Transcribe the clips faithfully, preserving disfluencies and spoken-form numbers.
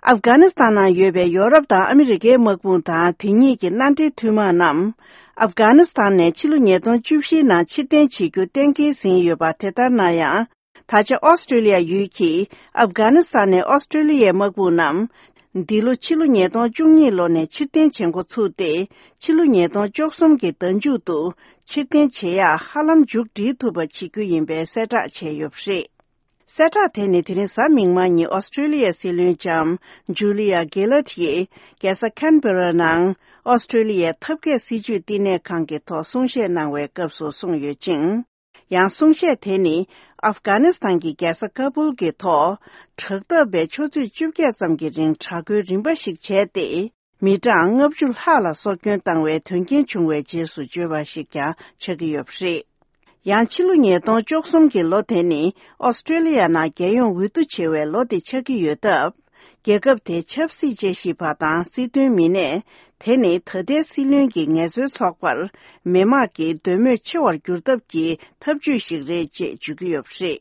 ཨབ་གྷ་ནི་སི་ཐན་ནང་ཡོད་པའི་ཡོ་རོབ་དང་ཨ་མི་རི་ཀའི་དམག་དཔུང་དང་དེ་གཉིས་ཀྱི་མནའ་འབྲེལ་མཐུན་དམག་རྣམས། ཨབ་གྷ་ནི་སི་ཐན་ནས་ཕྱི་ལོ་ཉིས་སྟོང་བཅུ་བཞིའི་ནང་ཕྱིར་འཐེན་བྱེད་རྒྱུ་གཏན་འཁེལ་ཟིན་ཡོད་པ་དེ་ལྟར་ན་ཡང་། ད་ཆ་ཨོ་སི་ཀྲོ་ལི་ཡ་ཡུལ་གྱིས་ཨབ་གྷ་ནི་སི་ཐན་ནས་ཨོ་སི་ཀྲོ་ལི་ཡའི་དམག་དཔུང་རྣམས། འདི་ལོ་ཕྱི་ལོ་ཉིས་སྟོང་བཅུ་གཉིས་ལོ་ནས་ཕྱིར་འཐེན་བྱེད་འགོ་ཚུགས་ཏེ། ཕྱི་ལོ་ཉིས་སྟོང་བཅུ་གསུམ་གྱི་ཟླ་མཇུག་ཏུ་ཕྱིར་འཐེན་བྱེད་ཡག་ཧ་ལམ་མཇུག་སྒྲིལ་ཐུབ་པ་བྱེད་རྒྱུ་ཡིན་པའི་གསལ་བསྒྲགས་བྱས་ཡོད་པ་རེད། གསལ་བསྒྲགས་དེ་ནི་དེ་རིང་གཟའ་མིག་དམར་ཉིན་ཨོ་སི་ཀྲོ་ལི་ཡའི་སྲིད་བློན་ལྕམ་ཇུ་ལི་ཡ་གྷི་ལར་ཡིས་རྒྱལ་ས་ཁན་བྷེ་ར་ནང་ཨོ་སི་ཀྲོ་ལི་ཡའི་ཐབས་མཁས་སྲིད་ཇུས་བསྟི་གནས་ཁང་གི་ཐོག་གསུང་བཤད་གནང་བའི་སྐབས་སུ་གསུངས་ཡོད་ཅིང་། ཡང་གསུང་བཤད་དེ་ནི་ཨབ་གྷ་ནི་སི་ཐན་གྱི་རྒྱལ་ས་ཀ་བུལ་གྱི་ཐོག་དྲག་འཐབ་པའི་ཆུ་ཚོད་བཅོ་བརྒྱད་ཙམ་གྱི་རིང་དྲག་རྒོལ་རིམ་པ་ཞིག་བྱས་ཏེ། མི་གྲངས་ལྔ་བཅུ་ལྷག་ལ་སྲོག་སྐྱོན་བཏང་བའི་དོན་རྐྱེན་བྱུང་བའི་རྗེས་སུ་བརྗོད་པ་ཞིག་ཀྱང་ཆགས་ཀྱི་ཡོད་པ་རེད། ཡང་ཕྱི་ལོ་ཉིས་སྟོང་བཅུ་གསུམ་གྱི་ལོ་དེ་ནི་ཨོ་སི་ཀྲོ་ལི་ཡ་ནང་རྒྱལ་ཡོངས་འོས་བསྡུ་བྱེད་པའི་ལོ་དེ་ཆགས་ཀྱི་ཡོད་སྟབས། རྒྱལ་ཁབ་དེའི་ཆབ་སྲིད་དཔྱད་ཞིབ་པ་དང་སྲིད་དོན་མི་སྣས། དེ་ནི་ད་ལྟའི་སྲིད་བློན་གྱི་ངལ་རྩོལ་ཚོགས་པར་མི་དམངས་ཀྱི་འདོད་མོས་ཆེ་བར་འགྱུར་ཐབས་ཀྱི་ཐབས་ཇུས་ཤིག་རེད་ཅེས་བརྗོད་ཀྱི་ཡོད་པ་རེད།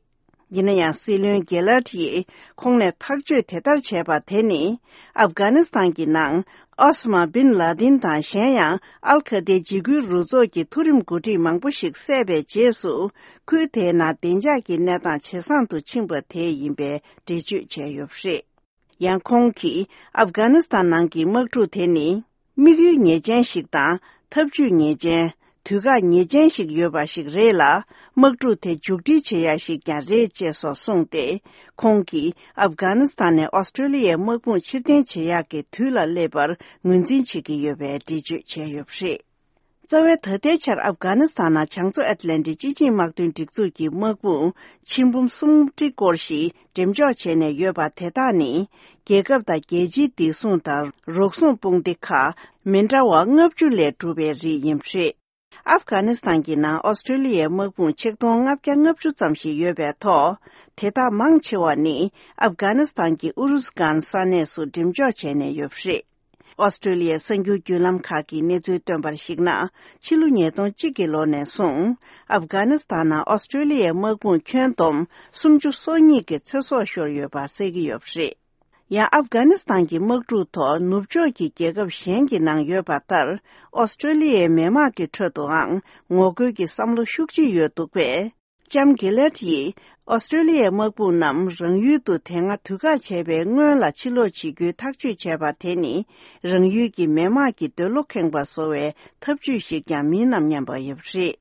ཡིན་ན་ཡང་སྲིད་བློན་གྷི་ལར་ཡིས་ཁོང་ནས་ཐག་གཅོད་དེ་ལྟར་བྱས་པ་དེ་ནི། ཨབ་གྷ་ནི་སི་ཐན་གྱི་ནང་ཨོ་ས་མ་བིན་ལ་དིན་དང་གཞན་ཡང་ཨལ་ཁ་ཏའི་འཇིགས་སྐུལ་རུ་ཚོགས་ཀྱི་མཐོ་རིམ་འགོ་ཁྲིད་མང་པོ་ཞིག་བསད་པའི་རྗེས་སུ། ཁུལ་དེའི་ནང་བདེ་འཇགས་ཀྱི་གནས་སྟངས་ཇེ་བཟང་དུ་ཕྱིན་པ་དེ་ཡིན་པའི་འགྲེལ་བརྗོད་བྱས་ཡོད་པ་རེད། ཡང་ཁོང་གིས་ཨབ་གྷ་ནི་སི་ཐན་ནང་གི་དམག་འཁྲུག་དེ་ནི། དམིགས་ཡུལ་ངེས་ཅན་ཞིག་དང་ཐབས་ཇུས་ངེས་ཅན། དུས་བཀག་ངེས་ཅན་ཞིག་ཡོད་པ་ཞིག་རེད་ལ། དམག་འཁྲུག་དེ་མཇུག་སྒྲིལ་བྱེད་ཡ་ཞིག་ཀྱང་རེད་ཅེས་སོགས་གསུངས་ཏེ། ཁོང་གིས་ཨབ་གྷ་ནི་སི་ཐན་ནས་ཨོ་སི་ཀྲོ་ལི་ཡའི་དམག་དཔུང་ཕྱིར་འཐེན་བྱེད་ཡག་གི་དུས་ལ་སླེབས་པར་ངོས་འཛིན་བྱེད་ཀྱི་ཡོད་པའི་འགྲེལ་བརྗོད་བྱས་ཡོད་པ་རེད། རྩ་བའི་ད་ལྟའི་ཆར་ཨབ་གྷ་ནི་སི་ཐན་ནང་བྱང་མཚོ་ཨེཊ་ལན་ཊིག་སྤྱི་ཆིངས་དམག་དོན་སྒྲིག་འཛུགས་ཀྱི་དམག་དཔུང་ཆིག་འབུམ་སུམ་ཁྲི་སྐོར་ཞིག་འགྲེམས་འཇོག་བྱས་ནས་ཡོད་པ་དེ་དག་ནི། རྒྱལ་ཁབ་དང་རྒྱལ་སྤྱིའི་བདེ་སྲུང་དང་རོགས་སྲུང་དཔུང་སྡེ་ཁག་མི་འདྲ་བ་ལྔ་བཅུ་ལས་གྲུབ་པའི་རིགས་ཡིན་པ་རེད། ཨབ་གྷ་ནི་སི་ཐན་གྱི་ནང་ཨོ་སི་ཀྲོ་ལི་ཡའི་དམག་དཔུང་ཆིག་སྟོང་ལྔ་བརྒྱ་ལྔ་བཅུ་ཙམ་ཞིག་ཡོད་པའི་ཐོག་དེ་དག་མང་ཆེ་བ་ནི་ཨབ་གྷ་ནི་སི་ཐན་གྱི་ཨུ་རུ་ཟི་གྷན་ས་གནས་སུ་འགྲེམས་འཇོག་བྱས་ནས་ཡོད་པ་རེད། ཨོ་སི་ཀྲོ་ལི་ཡའི་གསར་འགྱུར་བརྒྱུད་ལམ་ཁག་གིས་གནས་ཚུལ་བཏོན་པར་གཞིགས་ན། ཕྱི་ལོ་ཉིས་སྟོང་གཅིག་གི་ལོ་ནས་བཟུང་། ཨབ་གྷ་ནི་སི་ཐན་ནང་ཨོ་སི་ཀྲོ་ལི་ཡའི་དམག་དཔུང་ཁྱོན་བསྡོམས་སུམ་ཅུ་སོ་གཉིས་ཀྱི་ཚེ་སྲོག་ཤོར་ཡོད་པ་གསལ་གྱི་ཡོད་པ་རེད། ཡང་ཨབ་གྷ་ནི་སི་ཐན་གྱི་དམག་འཁྲུག་ཐོག་ནུབ་ཕྱོགས་ཀྱི་རྒྱལ་ཁབ་གཞན་གྱི་ནང་ཡོད་པ་ལྟར། ཨོ་སི་ཀྲོ་ལི་ཡའི་མི་དམངས་ཀྱི་ཁྲོད་དུའང་ངོ་རྒོལ་གྱི་བསམ་བློ་ཤུགས་ཆེ་ཡོད་འདུག་པས། ལྕམ་གྷི་ལར་ཡིས་ཨོ་སི་ཀྲོ་ལི་ཡའི་དམག་དཔུང་རྣམས་རང་ཡུལ་དུ་དེ་སྔ་དུས་བཀག་བྱས་པའི་སྔོན་ལ་ཕྱིར་ལོག་བྱེད་རྒྱུའི་ཐག་གཅོད་བྱས་པ་དེ་ནི། རང་ཡུལ་གྱི་མི་དམངས་ཀྱི་འདོད་བློ་ཁེངས་པ་བཟོ་བའི་ཐབས་ཇུས་ཤིག་ཀྱང་མིན་ནམ་སྙམ་པ་ཡོད་པ་རེད།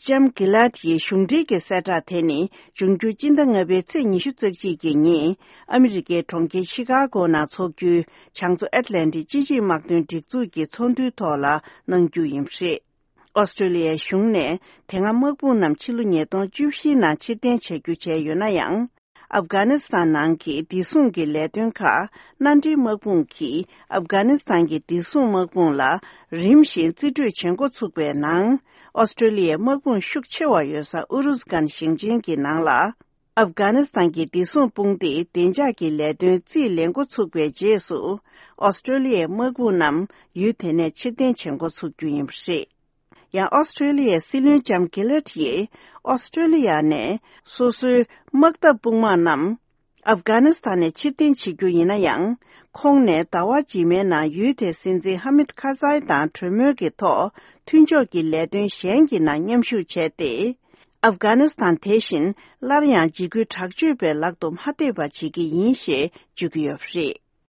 ལྕམ་གྷི་ལར་ཡི་གཞུང་འབྲེལ་གྱི་གསལ་བསྒྲགས་དེ་ནི། འབྱུང་འགྱུར་སྤྱི་ཟླ་ལྔ་པའི་ཚེས་ཉི་ཤུ་རྩ་གཅིག་གི་ཉིན། ཨ་མི་རི་ཀའི་གྲོང་ཁྱེར་ཤི་ཀ་གོ་ནང་འཚོགས་རྒྱུའི་བྱང་མཚོ་ཨེཊ་ལན་ཊིག་སྤྱི་ཆིངས་དམག་དོན་སྒྲིག་འཛུགས་ཀྱི་ཚོགས་འདུའི་ཐོག་ལ་གནང་རྒྱུ་ཡིན་པ་རེད། ཨོ་སི་ཀྲོ་ལི་ཡའི་གཞུང་ནས་དེ་སྔ་དམག་དཔུང་རྣམས་ཕྱི་ལོ་ཉིས་སྟོང་བཅུ་བཞིའི་ནང་ཕྱིར་འཐེན་བྱ་རྒྱུ་བྱས་ཡོད་ན་ཡང་། ཨབ་གྷ་ནི་སི་ཐན་ནང་གི་བདེ་སྲུང་གི་ལས་དོན་ཁག་མནའ་འབྲེལ་དམག་དཔུང་གིས་ཨབ་གྷ་ནི་སི་ཐན་གྱི་བདེ་སྲུང་དམག་དཔུང་ལ་རིམ་བཞིན་རྩིས་སྤྲོད་བྱེད་འགོ་ཚུགས་པའི་ནང་། ཨོ་སི་ཀྲོ་ལི་ཡའི་དམག་དཔུང་ཤུགས་ཆེ་བ་ཡོད་ས་ཨུ་རུ་ཟི་གྷན་ཞིང་ཆེན་གྱི་ནང་ལ། ཨབ་གྷ་ནི་སི་ཐན་གྱི་བདེ་སྲུང་དཔུང་སྡེས་བདེ་འཇགས་ཀྱི་ལས་དོན་རྩིས་ལེན་འགོ་ཚུགས་པའི་རྗེས་སུ། ཨོ་སི་ཀྲོ་ལི་ཡའི་དམག་དཔུང་རྣམས་ཡུལ་དེ་ནས་ཕྱིར་འཐེན་བྱེད་འགོ་ཚུགས་རྒྱུ་ཡིན་པ་རེད། ཡང་ཨོ་སི་ཀྲོ་ལི་ཡའི་སྲིད་བློན་ལྕམ་གྷི་ལར་ཡིས་ཨོ་སི་ཀྲོ་ལི་ཡ་ནས་སོ་སོའི་དམག་འཐབ་དཔུང་དམག་རྣམས་ཨབ་གྷ་ནི་སི་ཐན་ནས་ཕྱིར་འཐེན་བྱེད་རྒྱུ་ཡིན་ན་ཡང་། ཁོང་ནས་ཟླ་བ་རྗེས་མའི་ནང་ཡུལ་དེའི་སྲིད་འཛིན་ཧ་མིད་ཁ་ཛའི་དང་གྲོས་མོལ་གྱི་ཐོག་མཐུན་ཕྱོགས་ཀྱི་ལས་དོན་གཞན་གྱི་ནང་མཉམ་ཞུགས་བྱས་ཏེ། ཨབ་གྷ་ནི་སི་ཐན་དེ་བཞིན་སླར་ཡང་འཇིགས་སྐུལ་དྲག་སྤྱོད་པའི་ལག་ཏུ་མ་ཐེབས་པ་བྱེད་ཀྱི་ཡིན་ཞེས་བརྗོད་ཀྱི་ཡོད་པ་རེད།